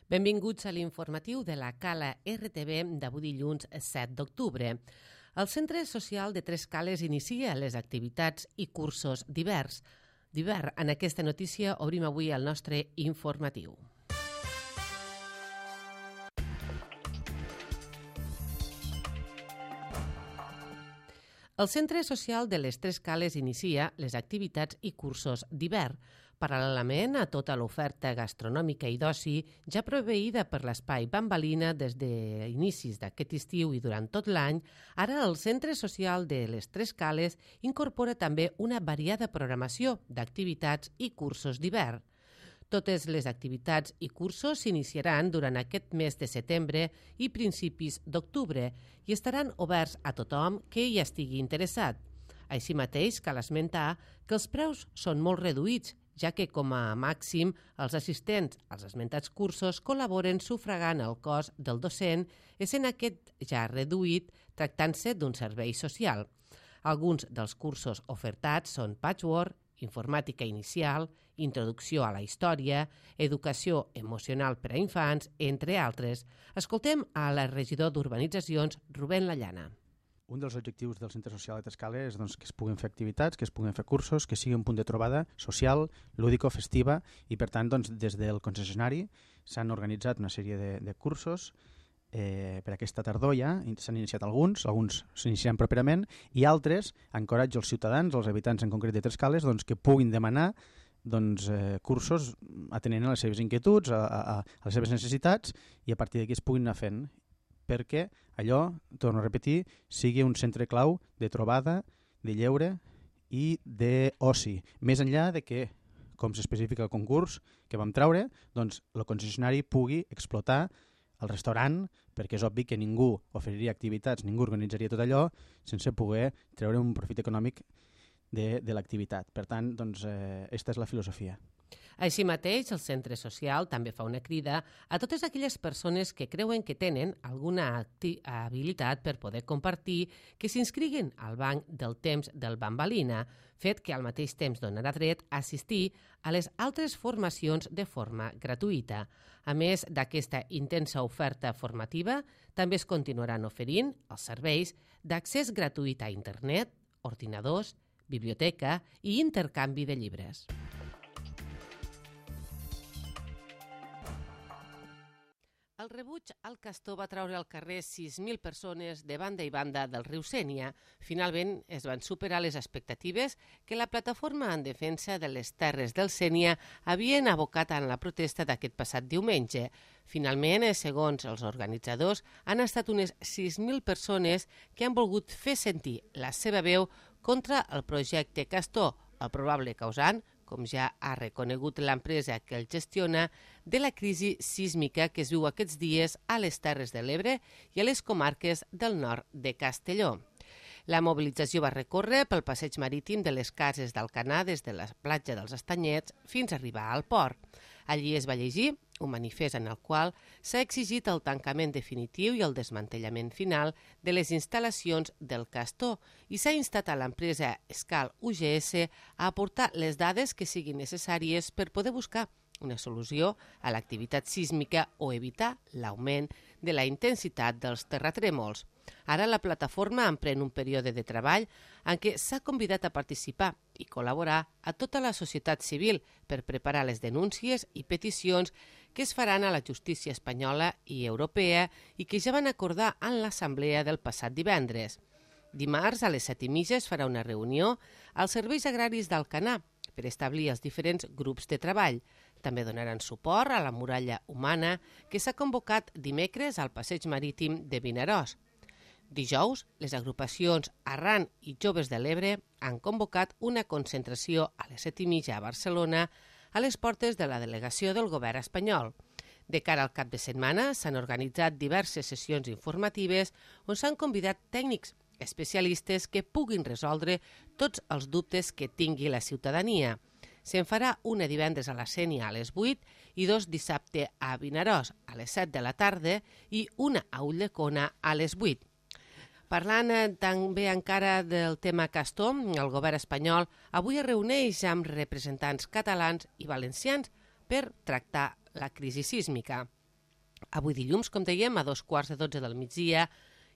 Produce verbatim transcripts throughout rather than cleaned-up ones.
Benvinguts a l'informatiu de la Cala R T V d'avui dilluns set d'octubre. El Centre Social de Tres Cales inicia les activitats i cursos d'hivern. D'hivern, en aquesta notícia obrim avui el nostre informatiu. El Centre Social de les Tres Cales inicia les activitats i cursos d'hivern, paral·lelament a tota l'oferta gastronòmica i d'oci ja proveïda per l'Espai Bambalina des d'inicis d'aquest estiu i durant tot l'any. Ara el Centre Social de les Tres Cales incorpora també una variada programació d'activitats i cursos d'hivern. Totes les activitats i cursos s'iniciaran durant aquest mes de setembre i principis d'octubre i estaran oberts a tothom que hi estigui interessat. Així mateix, cal esmentar que els preus són molt reduïts, ja que com a màxim els assistents als esmentats cursos col·laboren sufragant el cost del docent, essent aquest ja reduït tractant-se d'un servei social. Alguns dels cursos ofertats són patchwork, informàtica inicial, introducció a la història, educació emocional per a infants, entre altres. Escoltem a la regidor d'Urbanitzacions, Rubén Lallana. Un dels objectius del Centre Social de Tres Cales és doncs, que es puguin fer activitats, que es puguin fer cursos, que sigui un punt de trobada social, lúdico, festiva, i per tant doncs, des del concessionari s'han organitzat una sèrie de, de cursos eh, per aquesta tardor ja, s'han iniciat alguns, alguns s'iniciaran properament, i altres encoratgen els ciutadans, els habitants en concret de Tres Cales, doncs, que puguin demanar doncs, eh, cursos atenent a les seves inquietuds, a, a, a les seves necessitats, i a partir d'aquí es puguin anar fent, perquè allò, torno a repetir, sigui un centre clau de trobada, de lleure i d'oci. Més enllà de que, com s'especifica el concurs que vam treure, doncs el concessionari pugui explotar el restaurant, perquè és obvi que ningú oferiria activitats, ningú organitzaria tot allò sense poder treure un profit econòmic de, de l'activitat. Per tant, doncs, eh, aquesta és la filosofia. Així mateix, el Centre Social també fa una crida a totes aquelles persones que creuen que tenen alguna habilitat per poder compartir que s'inscriguin al banc del temps del Bambalina, fet que al mateix temps donarà dret a assistir a les altres formacions de forma gratuïta. A més d'aquesta intensa oferta formativa, també es continuaran oferint els serveis d'accés gratuït a internet, ordinadors, biblioteca i intercanvi de llibres. El rebuig al castor va treure al carrer sis mil persones de banda i banda del riu Sénia. Finalment es van superar les expectatives que la plataforma en defensa de les terres del Sénia havien abocat en la protesta d'aquest passat diumenge. Finalment, segons els organitzadors, han estat unes sis mil persones que han volgut fer sentir la seva veu contra el projecte Castor, el probable causant, com ja ha reconegut l'empresa que el gestiona, de la crisi sísmica que es viu aquests dies a les Terres de l'Ebre i a les comarques del nord de Castelló. La mobilització va recórrer pel passeig marítim de les cases d'Alcanar des de la platja dels Estanyets fins a arribar al port. Allí es va llegir un manifest en el qual s'ha exigit el tancament definitiu i el desmantellament final de les instal·lacions del Castor i s'ha instat a l'empresa Escal U G S a aportar les dades que siguin necessàries per poder buscar una solució a l'activitat sísmica o evitar l'augment de la intensitat dels terratrèmols. Ara la plataforma emprèn un període de treball en què s'ha convidat a participar i col·laborar a tota la societat civil per preparar les denúncies i peticions que es faran a la justícia espanyola i europea i que ja van acordar en l'assemblea del passat divendres. Dimarts a les set i mitja es farà una reunió als serveis agraris d'Alcanar per establir els diferents grups de treball. També donaran suport a la muralla humana que s'ha convocat dimecres al passeig marítim de Vinaròs. Dijous, les agrupacions Arran i Joves de l'Ebre han convocat una concentració a les set i mitja a Barcelona a les portes de la delegació del govern espanyol. De cara al cap de setmana s'han organitzat diverses sessions informatives on s'han convidat tècnics especialistes que puguin resoldre tots els dubtes que tingui la ciutadania. Se'n farà una divendres a la Sénia a les vuit i dos dissabte a Vinaròs a les set de la tarda i una a Ulldecona a les vuit. Parlant també encara del tema Castor, el govern espanyol avui es reuneix amb representants catalans i valencians per tractar la crisi sísmica. Avui dilluns, com dèiem, a dos quarts de dotze del migdia,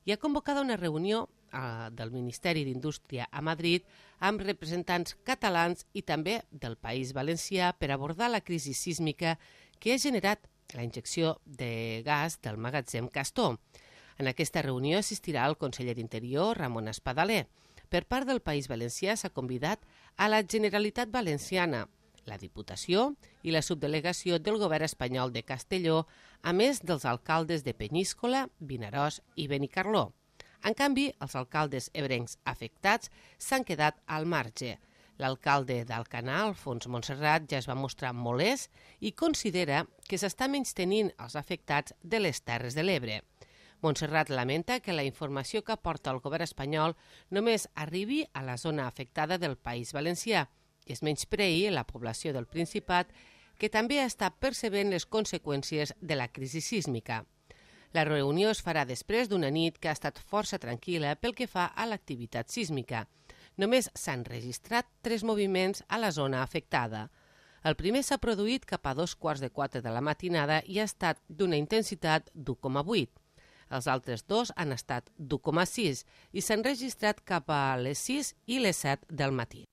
hi ha convocada una reunió eh, del Ministeri d'Indústria a Madrid amb representants catalans i també del País Valencià per abordar la crisi sísmica que ha generat la injecció de gas del magatzem Castor. En aquesta reunió assistirà el conseller d'Interior, Ramon Espadaler. Per part del País Valencià s'ha convidat a la Generalitat Valenciana, la Diputació i la subdelegació del govern espanyol de Castelló, a més dels alcaldes de Peníscola, Vinaròs i Benicarló. En canvi, els alcaldes ebrencs afectats s'han quedat al marge. L'alcalde d'Alcanar, Alfons Montserrat, ja es va mostrar molest i considera que s'està menystenint els afectats de les Terres de l'Ebre. Montserrat lamenta que la informació que aporta el govern espanyol només arribi a la zona afectada del País Valencià i es menyspreï la població del Principat, que també està percebent les conseqüències de la crisi sísmica. La reunió es farà després d'una nit que ha estat força tranquil·la pel que fa a l'activitat sísmica. Només s'han registrat tres moviments a la zona afectada. El primer s'ha produït cap a dos quarts de quatre de la matinada i ha estat d'una intensitat d'u coma vuit. Els altres dos han estat d'u coma sis i s'han registrat cap a les sis i les set del matí.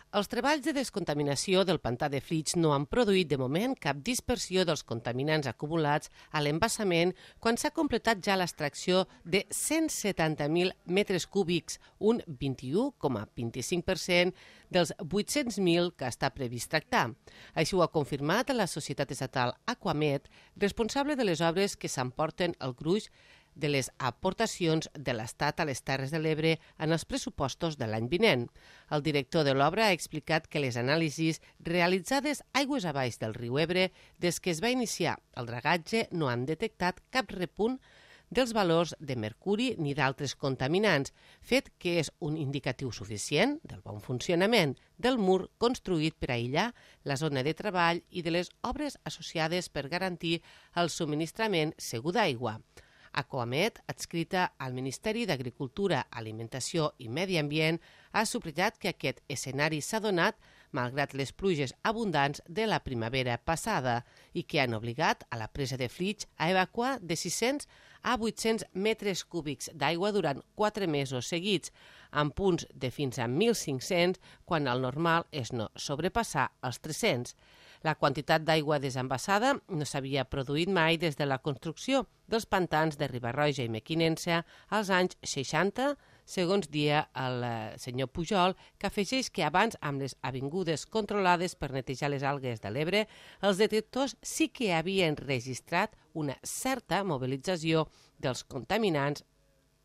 Els treballs de descontaminació del pantà de Flix no han produït de moment cap dispersió dels contaminants acumulats a l'embassament quan s'ha completat ja l'extracció de cent setanta mil metres cúbics, un vint-i-u coma vint-i-cinc per cent dels vuit-cents mil que està previst tractar. Així ho ha confirmat la societat estatal Aquamet, responsable de les obres que s'emporten el gruix de les aportacions de l'Estat a les Terres de l'Ebre en els pressupostos de l'any vinent. El director de l'obra ha explicat que les anàlisis realitzades aigües abaix del riu Ebre des que es va iniciar el dragatge no han detectat cap repunt dels valors de mercuri ni d'altres contaminants, fet que és un indicatiu suficient del bon funcionament del mur construït per aïllar la zona de treball i de les obres associades per garantir el subministrament segur d'aigua. Aquamet, adscrita al Ministeri d'Agricultura, Alimentació i Medi Ambient, ha subratllat que aquest escenari s'ha donat malgrat les pluges abundants de la primavera passada i que han obligat a la presa de Flix a evacuar de sis-cents a vuit-cents metres cúbics d'aigua durant quatre mesos seguits, amb punts de fins a mil cinc-cents quan el normal és no sobrepassar els tres-cents. La quantitat d'aigua desembassada no s'havia produït mai des de la construcció dels pantans de Riba-roja i Mequinensa als anys seixanta, segons dia el senyor Pujol, que afegeix que abans, amb les avingudes controlades per netejar les algues de l'Ebre, els detectors sí que havien registrat una certa mobilització dels contaminants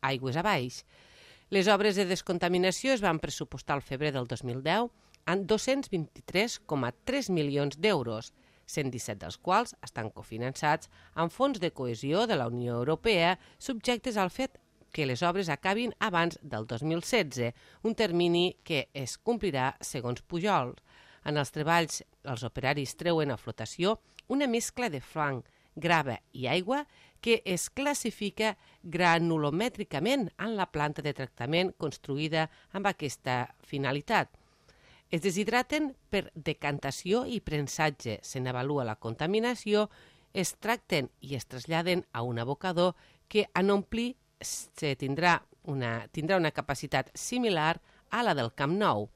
aigües abaix. Les obres de descontaminació es van pressupostar al febrer del dos mil deu en dos-cents vint-i-tres coma tres milions d'euros, cent disset dels quals estan cofinançats amb fons de cohesió de la Unió Europea subjectes al fet que les obres acabin abans del dos mil setze, un termini que es complirà segons Pujol. En els treballs, els operaris treuen a flotació una mescla de fang, grava i aigua que es classifica granulomètricament en la planta de tractament construïda amb aquesta finalitat. Es deshidraten per decantació i prensatge, se n'avalua la contaminació, es tracten i es traslladen a un abocador que en omplir se tindrà una, tindrà una capacitat similar a la del Camp Nou.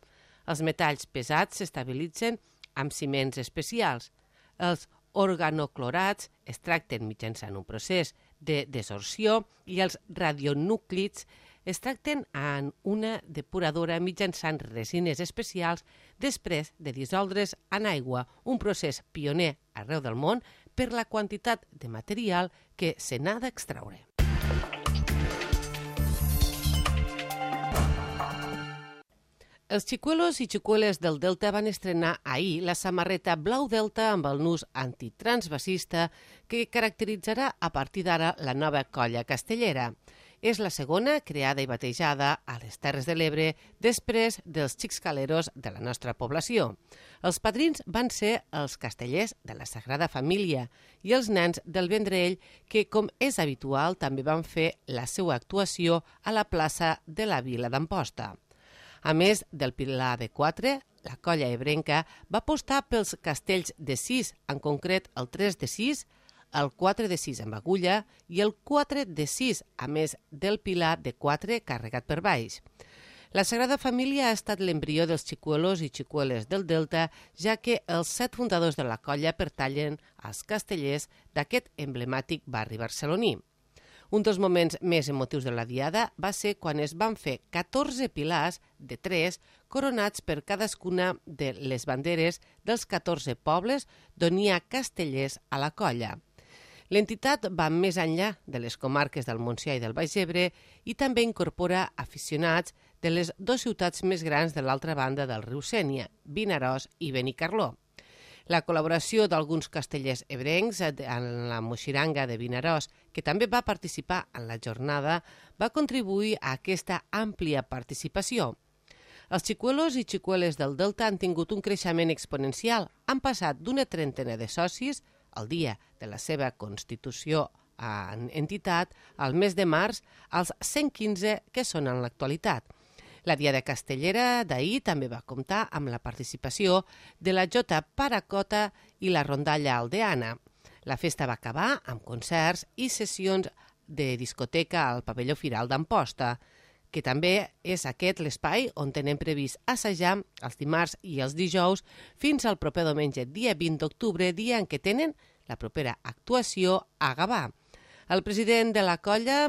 Els metalls pesats s'estabilitzen amb ciments especials. Els organoclorats es tracten mitjançant un procés de desorció i els radionúclids es tracten en una depuradora mitjançant resines especials després de dissoldre's en aigua, un procés pioner arreu del món per la quantitat de material que se n'ha d'extraure. Els xicuelos i xicueles del Delta van estrenar ahir la samarreta blau Delta amb el nus antitransvasista que caracteritzarà a partir d'ara la nova colla castellera. És la segona creada i batejada a les Terres de l'Ebre després dels xixcaleros de la nostra població. Els padrins van ser els castellers de la Sagrada Família i els nens del Vendrell que, com és habitual, també van fer la seva actuació a la plaça de la Vila d'Amposta. A més del Pilar de Quatre, la colla ebrenca va apostar pels castells de sis, en concret el tres de sis, el quatre de sis amb agulla i el quatre de sis, a més del pilar de quatre carregat per baix. La Sagrada Família ha estat l'embrió dels xicuelos i xicueles del Delta, ja que els set fundadors de la colla pertanyen als castellers d'aquest emblemàtic barri barceloní. Un dels moments més emotius de la diada va ser quan es van fer catorze pilars de tres coronats per cadascuna de les banderes dels catorze pobles d'on hi ha castellers a la colla. L'entitat va més enllà de les comarques del Montsià i del Baix Ebre i també incorpora aficionats de les dues ciutats més grans de l'altra banda del riu Sénia, Vinaròs i Benicarló. La col·laboració d'alguns castellers ebrencs en la moixiranga de Vinaròs, que també va participar en la jornada, va contribuir a aquesta àmplia participació. Els xicuelos i xicueles del Delta han tingut un creixement exponencial. Han passat d'una trentena de socis el dia de la seva constitució en entitat, al mes de març, als cent quinze que són en l'actualitat. La Diada Castellera d'ahir també va comptar amb la participació de la Jota Paracota i la Rondalla Aldeana. La festa va acabar amb concerts i sessions de discoteca al pavelló Firal d'Amposta, que també és aquest l'espai on tenen previst assajar els dimarts i els dijous fins al proper diumenge, dia vint d'octubre, dia en què tenen la propera actuació a Gavà. El president de la colla,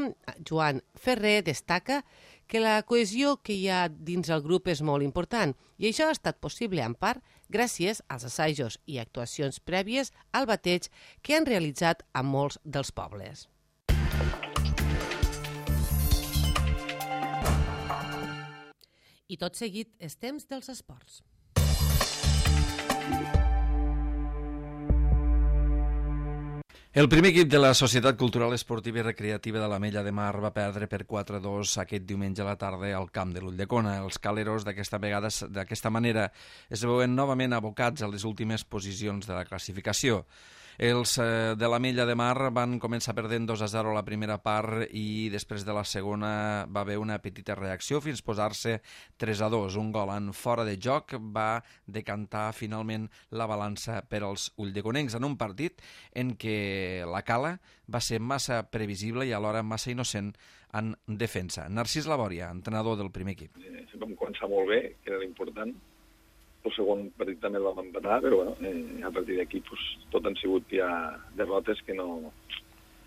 Joan Ferrer, destaca que la cohesió que hi ha dins el grup és molt important i això ha estat possible en part gràcies als assajos i actuacions prèvies al bateig que han realitzat a molts dels pobles. I tot seguit és temps dels esports. El primer equip de la Societat Cultural Esportiva i Recreativa de l'Ametlla de Mar va perdre per quatre a dos aquest diumenge a la tarda al camp de l'Ulldecona. Els caleros d'aquesta vegada, d'aquesta manera, es veuen novament abocats a les últimes posicions de la classificació. Els eh, de l'Ametlla de Mar van començar perdent dos a zero a la primera part i després de la segona va haver una petita reacció fins posar-se tres a dos. Un gol en fora de joc va decantar finalment la balança per als ulldeconencs en un partit en què la Cala va ser massa previsible i alhora massa innocent en defensa. Narcís Labòria, entrenador del primer equip. Eh, vam començar molt bé, que era l'important. El segon partit també el vam empatar, però bueno, eh, a partir d'aquí pues, tot han sigut ja derrotes que no,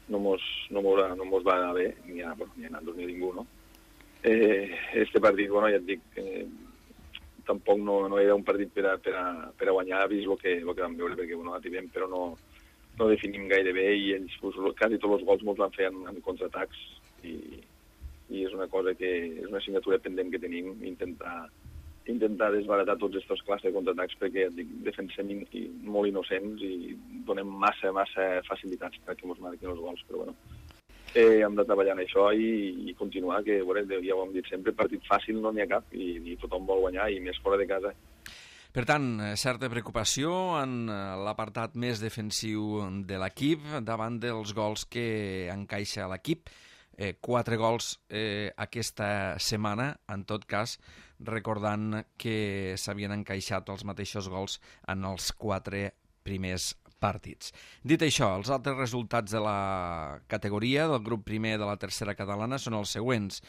no, mos, no, mos, no mos va anar bé, ni a, bueno, ni a nosaltres ni a ningú, no? Eh, este partit, bueno, ja et dic, eh, tampoc no, no era un partit per a, per a, per a guanyar, vist el que, el que vam veure, perquè bueno, ativem, però no, no definim gaire bé i ells, pues, quasi tots els gols mos van fer en, en contraatacs i, i és una cosa que és una assignatura pendent que tenim, intentar intentar desbaratar tots aquests classes de contraatacs perquè dic, defensem in, i, molt innocents i donem massa, massa facilitats perquè ens marquin els gols, però bueno, eh, hem de treballar en això i, i continuar, que veure, ja ho hem dit sempre, partit fàcil no n'hi ha cap i, i tothom vol guanyar i més fora de casa. Per tant, certa preocupació en l'apartat més defensiu de l'equip davant dels gols que encaixa l'equip. Eh, quatre gols eh, aquesta setmana, en tot cas, recordant que s'havien encaixat els mateixos gols en els quatre primers partits. Dit això, els altres resultats de la categoria del grup primer de la tercera catalana són els següents.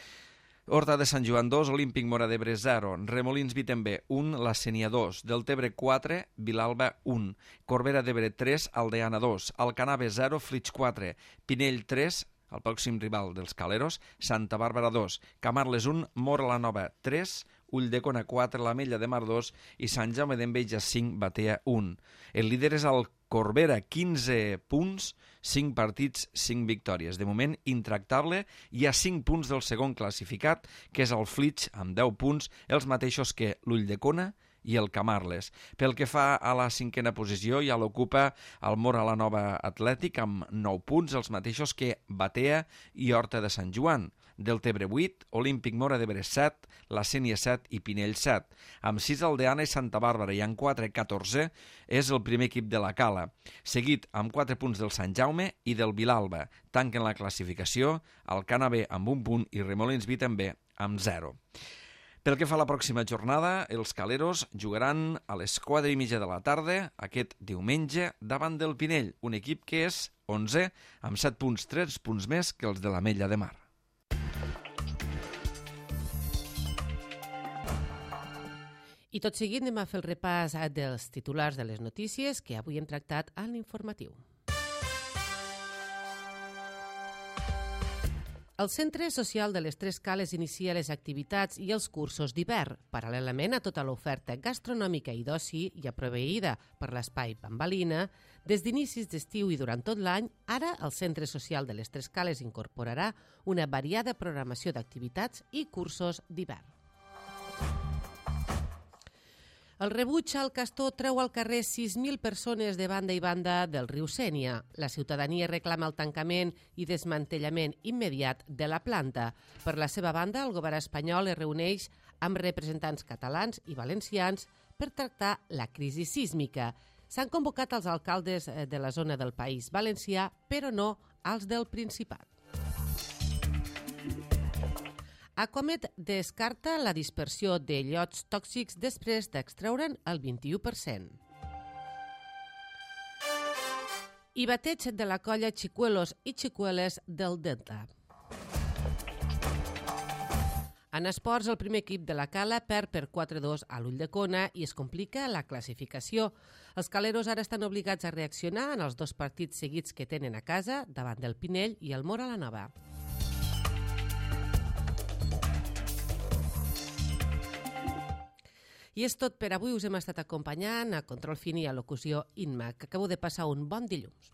Horta de Sant Joan dos, Olímpic Móra d'Ebre zero, Remolins Vitember un, La Sénia dos, Deltebre quatre, Vilalba un, Corbera d'Ebre tres, Aldeana dos, Alcanave zero, Flix quatre, Pinell tres, el pròxim rival dels caleros, Santa Bàrbara dos, Camarles un, Móra la Nova tres, Ulldecona quatre, l'Ametlla de Mar dos i Sant Jaume d'Enveja cinc, Batea un. El líder és el Corbera, quinze punts, cinc partits, cinc victòries. De moment, intractable, hi ha cinc punts del segon classificat, que és el Flix, amb deu punts, els mateixos que l'Ulldecona i el Camarles. Pel que fa a la cinquena posició, ja l'ocupa el Móra la Nova Atlètic amb nou punts, els mateixos que Batea i Horta de Sant Joan. Deltebre vuit, Olímpic Móra d'Ebre set, La Sénia set i Pinell set. Amb sis Aldeana i Santa Bàrbara i amb quatre, catorze, és el primer equip de la Cala. Seguit amb quatre punts del Sant Jaume i del Vilalba. Tanquen la classificació Alcanave amb un punt i Remolins Vitember amb zero. Pel que fa a la pròxima jornada, els Caleros jugaran a les quatre i mitja de la tarda aquest diumenge davant del Pinell, un equip que és onzè amb set punts, tres punts més que els de l'Ametlla de Mar. I tot seguit anem a fer el repàs dels titulars de les notícies que avui hem tractat a l'informatiu. El Centre Social de les Tres Cales inicia les activitats i els cursos d'hivern, paral·lelament a tota l'oferta gastronòmica i d'oci ja proveïda per l'Espai Bambalina. Des d'inicis d'estiu i durant tot l'any, ara el Centre Social de les Tres Cales incorporarà una variada programació d'activitats i cursos d'hivern. El rebuig al castor treu al carrer sis mil persones de banda i banda del riu Sénia. La ciutadania reclama el tancament i desmantellament immediat de la planta. Per la seva banda, el govern espanyol es reuneix amb representants catalans i valencians per tractar la crisi sísmica. S'han convocat els alcaldes de la zona del País Valencià, però no als del Principat. Aquamed descarta la dispersió de llots tòxics després d'extreure'n el vint-i-u per cent. I bateig de la colla Xicuelos i Xicueles del Delta. En esports, el primer equip de la Cala perd per quatre a dos a l'Ulldecona i es complica la classificació. Els caleros ara estan obligats a reaccionar en els dos partits seguits que tenen a casa davant del Pinell i el Móra la Nova. I és tot per avui. Us hem estat acompanyant a Control Fin i a locució Inma, que acabo de passar un bon dilluns.